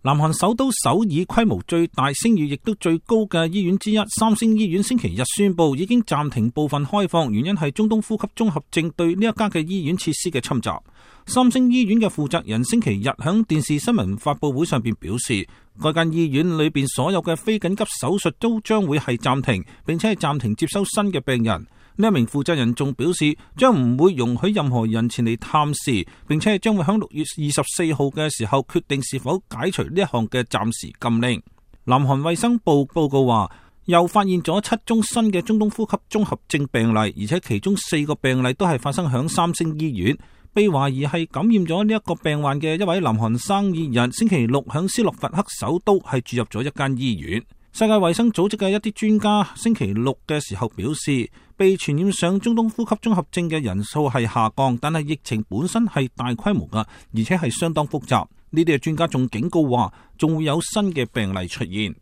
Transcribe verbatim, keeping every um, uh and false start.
南韓首都首爾規模最大、聲譽亦都最高嘅醫院之一三星醫院星期日宣布已經暫停部分開放，原因係中東呼吸綜合症對呢一家嘅醫院設施嘅侵襲。三星醫院嘅負責人星期日響電視新聞發佈會上邊表示，該間醫院裏邊所有嘅非緊急手術都將會係暫停，並且係暫停接收新嘅病人。呢一名負責人仲表示，將唔會容許任何人前嚟探視，並且係將會喺六月二十四號嘅時候決定是否解除呢一項嘅暫時禁令。南韓衛生部報告話，又發現咗七宗新嘅中東呼吸綜合症病例，而且其中四個病例都係發生響三星醫院。被懷疑係感染咗呢一個病患嘅一位南韓生意人，星期六響斯洛伐克首都係住入咗一間醫院。世界衛生組織嘅一啲專家星期六嘅時候表示，被傳染上中東呼吸綜合症嘅人數係下降，但係疫情本身係大規模噶，而且係相當複雜。呢啲嘅專家仲警告話，仲會有新嘅病例出現。